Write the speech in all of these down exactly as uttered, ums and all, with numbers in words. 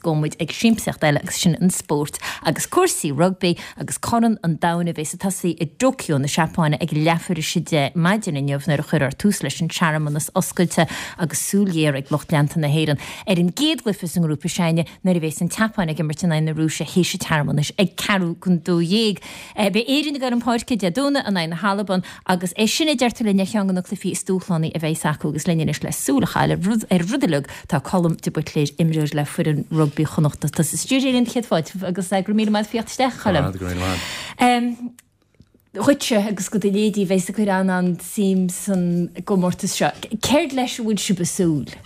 gabhfaidh muid ag siamsaíocht eile agus sin an spórt agus cúrsaí rugbaí agus Corn an Domhain a bheas ag tosaí i dTóiceo na Seapáine ag leathuair tar éis a deich maidin inniu nuair a chuirfear tús leis an searmanas oscailte agus súil ghéar ag lucht leanta na hÉireann ar an gcéad chluiche sa ngrúpa s'againne nuair a bheas an tSeapáin ag imirt in aghaidh na Rúise théis an tsearmanais ag ceathrú don dó dhéag. Beidh Éirinn ag dul chun páirce Dé Domhnaigh in aghaidh na hAlban agus é sin a deirtear linn ar cheann de na cluichí is dúshlánaí a bheas acu agus linn anois le súil a chaitheamh ar rud uilig tá Colm de Buitléir imreoir le foireann rugbaí Chonnachta tá sa stiúideo linn céad fáilte agus go raibh míle maith theacht isteach Colm. Um, Dhuitse agus do do leithéidí a bheas ag cur an-suim san gcomórtas seo. Céard leis a bhfuil sibh ag súil?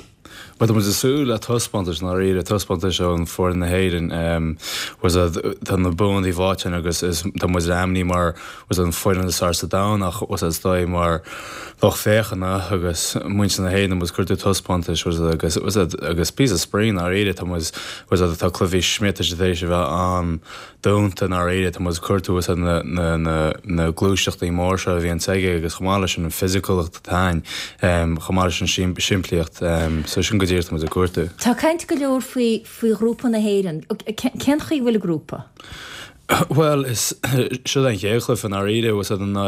Well tá muid ag súil le taispeántas ndáiríre taispeántas ón foireann na hÉireann was tá na buanna faighte agus is tá muid ainmnithe mar was an foireann is fearr sa domhan ach was is dóigh mar lucht féachana agus muintir na hÉireann was cuirú taispeántas was agus was agus píosa spraoi ndáiríre tá muid was tá cluichí smiota éis a bheith an-dúnta ndáiríre tá muid cuartú was na na na na gluaiseachtaí mór seo a bhíonn aige agus chomh maith leis an fisiciúlacht atá chomh maith leis an simplíocht so sin go díreach muid ag cuartú. Tá caint go leor faoi faoi ghrúpa na hÉireann. Cén chaoi bhfuil an grúpa? Well is seo an chéad chluiche ndáiríre was an ná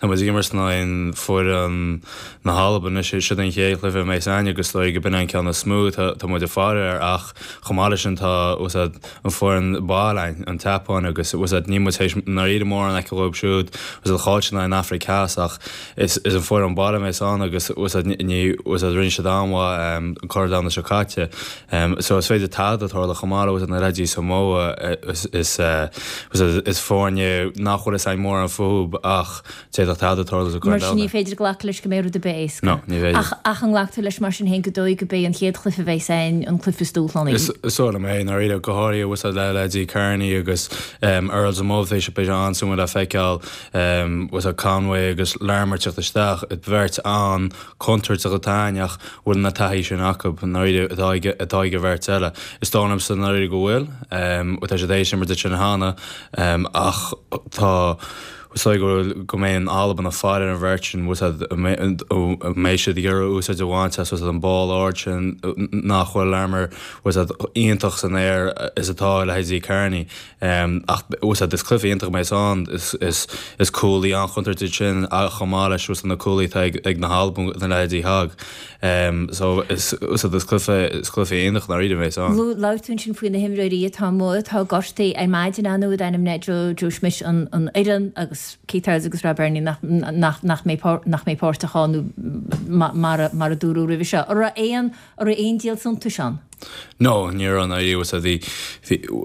tá muid ag imirt in aghaidh foireann na hAlban sé seo an chéad chluiche a bheas againn agus dóigh go b'in an ceann is mó tá muid ag faire air ach chomh maith leis sin tá was an foireann baile an tSeapáin agus was ní muid ndáiríre mórán aici dhóibh siúd was an cháil an Afraic Theas ach is is an foireann baile a bheas ann agus was ní was rinne siad an-mhaith an Corn Domhanda seo caite. Um, so is féidir tada tarlú chomh maith was na leithéidí Samoa is is uh, is foirne nach bhfuil fhios againn mórán fúthu ach d'fhéadfadh tada tarlú sa Mar sin ní féidir glacadh leis go mbeidh rud ar bith éasca. No, ní féidir. Ach ach an nglactar leis mar sin féin go dóigh go mbeidh an chéad chluiche a bheas againn an cluiche is dúshlánaí. Is dóigh liom é ndáiríre go háirithe was le leithéidí Kearney agus um, Earls amuigh sé be an-suimiúil le feiceáil um, was a Conway agus Larmour teacht isteach et bheirt an-chontúirteach atá ach bhfuil na taithí sin acu ndáiríre atá ag an bheirt eile. Is dóigh liomsa ndáiríre go bhfuil um, tá sé éis mar sin cheana um, ach tá So go go mbeidh Albain ag faire ar an bheirt sin mbeidh siad ag iarraidh úsáid a bhaint as an ball ard sin nach bhfuil Larmour was iontach san aer is atá leithéidí Kearney um, ach was is cluiche iontach a bheas ann is is is cúlaí an-chontúirteach sin a chomh maith leis was na cúlaí ag ag na hAlban na leithéidí Hogg. Um, so is is is cluiche is cluiche iontach ndáiríre a bheas ann. Labhair tú ansin faoi na himreoirí atá amuigh atá gortaithe ar maidin anú ainm Joe Joe Schmidt an an fhoireann agus Keith Earls agus Rob Bernie nach nach nach mbeidh nach mbeidh páirteach ann mar mar a dúradh roimhe seo. An raibh aon an raibh aon díol suntais ann? No, ní an was a bhí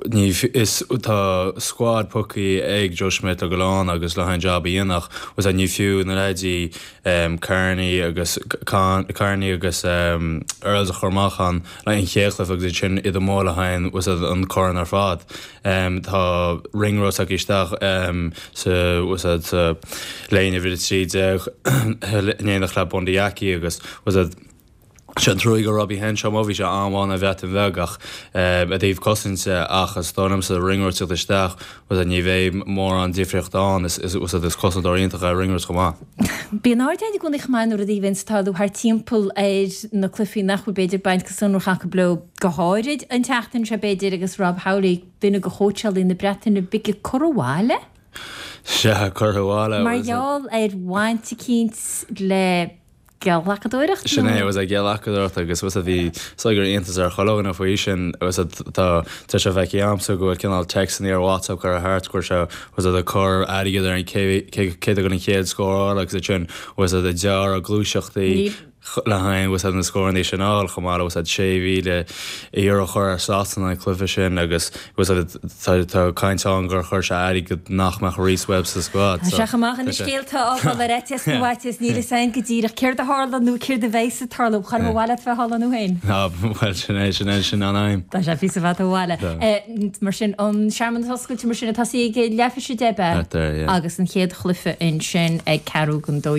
ní is tá squad pioctha ag Joe Schmidt go lán agus le an job dhéanamh was a ní fiú na leithéidí um, Kearney agus Kearney agus um, Earls a chur amach an le an chéad chluiche agus sin iad amuigh le haghaidh was an corn ar fad. Um, tá Ringrose ag isteach um, sa was a léine bhí trí néach le Bundee Aki agus was a Sin trua go Robbie Henshaw má bhí sé an-mhaith an Bhreatain Bheag ach a dtaobh cosainte ach is dóigh liomsa Ringrose isteach was a ní bheidh mórán difríocht ann is is is cosantóir iontach é Ringrose chomh maith. Bíonn aird i gcónaí chomh maith nuair a bhíonn tarlú thart timpeall ar na cluichí nach bhfuil b'fhéidir baint go sonrach acu leo go háirid an tseachtain seo b'fhéidir agus Rob Howley duine de chóitseálaithe na Breataine Bige curtha abhaile? Se curtha abhaile. Mar gheall ar bhaint eicínt le geallacadóireacht? Sin é was a geallacadóireacht agus was a bhí so gur iontas ar chuile dhuine faoi sin was tá tá sé bheith amsa go bhfuil cineál textanna ar WhatsApp curtha thart gur se was a chur airgead ar an cé go an chéad scóráil agus sin was a dear gluaiseachtaí le haghaidh was na scóranna sin á chomh maith was sé mhíle euro chur ar Sasana an cluiche sin agus was tá caint ann gur chuir sé airgead nach mbeadh Rhys Webb sa squad. Se amach an scéalta ááil ar eite bhaites níl sein go díreach céard a tharla nó céard a bheas ag tarlú char bhile bheith hála nó féin. Well sin é sin é sin an aim. Tá sé fi bheit bhile. Mar sin an searmanas oscailte mar sin atá sí ag leathuair tar éis a deich agus an chéad chluiche ansin ag ceathrú don dó.